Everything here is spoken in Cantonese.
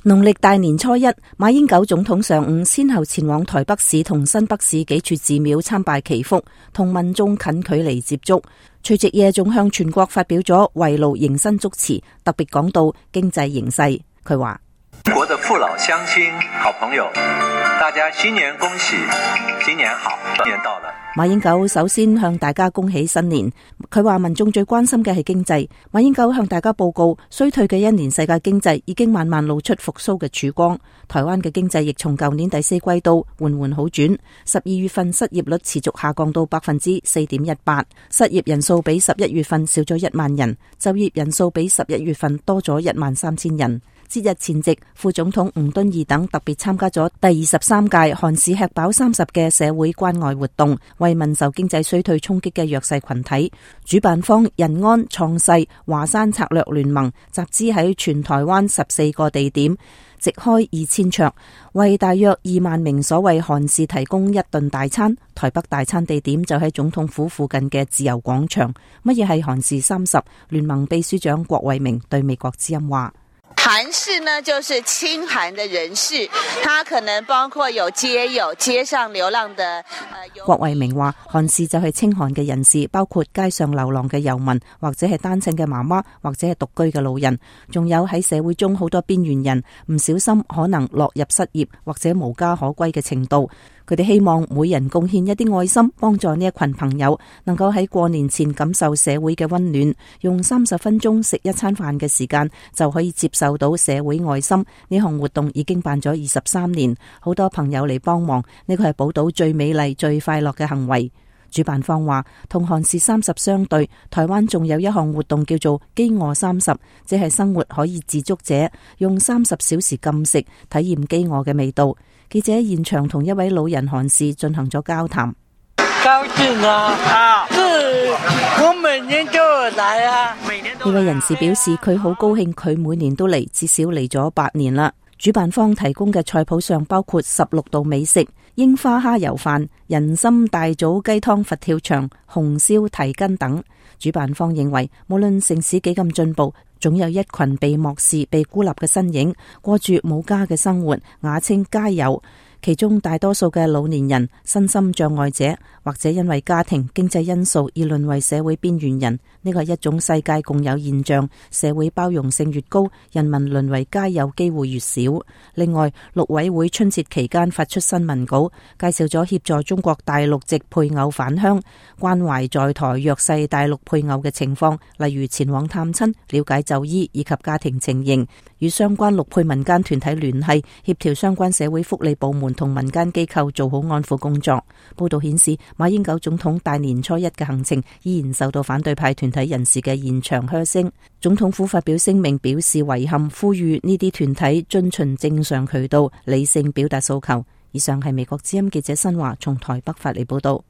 農曆大年初一，馬英九總統上午先後前往台北市同新北市幾處寺廟參拜祈福，同民眾近距離接觸。除夕夜仲向全國發表咗圍爐迎新祝詞，特別講到經濟形勢。佢話：中國的父老鄉親、好朋友，大家新年恭喜，新年好，新年到了。馬英九首先向大家恭喜新年。佢話民眾最關心嘅係經濟。馬英九向大家報告，衰退嘅一年世界經濟已經慢慢露出復甦嘅曙光。台灣嘅經濟亦從舊年第四季度緩緩好轉。12月份失業率持續下降到 4.18%， 失業人數比11月份少咗1萬人，就業人數比11月份多咗13000人。節日前夕，副總統吳敦義等特別參加咗第23屆韓市吃飽30嘅社會關愛活動，慰問受經濟衰退衝擊嘅弱勢群體。主辦方仁安創世華山策略聯盟集資喺全台灣14個地點，席開2000桌，為大約2萬名所謂韓士提供1頓大餐。台北大餐地點就喺總統府附近嘅自由廣場。乜嘢係韓市30？聯盟秘書長郭衛明對美國之音話：韓士呢，就是親韓的人士，他可能包括有街友、街上流浪的。郭衛明話，韓士就係親韓嘅人士，包括街上流浪嘅遊民，或者係單親嘅媽媽，或者係獨居嘅老人，仲有喺社會中好多邊緣人，唔小心可能落入失業或者無家可歸嘅程度。佢哋希望每人貢獻一啲愛心，幫助呢一群朋友能夠喺過年前感受社會嘅溫暖，用30分鐘食一餐飯嘅時間就可以接受到社會愛心。呢項活動已經辦咗23年，好多朋友嚟幫忙，呢個係寶島最美麗、最快樂嘅行為。主辦方話，同韓市30相對，台灣仲有一項活動叫做飢餓30，即係生活可以自足者用30小時禁食，體驗飢餓嘅味道。記者喺現場同一位老人韓士進行咗交談。高興啊！我每年都來啊！呢位人士表示佢好高興，佢每年都嚟，至少嚟咗8年啦。主辦方提供嘅菜譜上包括16道美食：櫻花蝦油飯、人參大棗雞湯佛跳牆、紅燒蹄筋等。主辦方認為，無論城市幾咁進步，總有一群被漠視、被孤立嘅身影，過住冇家嘅生活，雅稱街友。其中大多數嘅老年人、身心障礙者，或者因為家庭經濟因素而淪為社會邊緣人。呢個係一種世界共有現象，社會包容性越高，人民淪為街友機會越少。另外，陸委會春節期間發出新聞稿，介紹咗協助中國大陸籍配偶返鄉、關懷在台弱勢大陸配偶嘅情況，例如前往探親、了解就醫以及家庭情形，與相關陸配民間團體聯繫，協調相關社會福利部門同民間機構做好安撫工作。報道顯示，馬英九總統大年初一嘅行程依然受到反對派團體人士嘅現場噓聲。總統府發表聲明表示遺憾，呼籲呢啲團體遵循正常渠道，理性表達訴求。以上係美國之音記者新華從台北發嚟報道。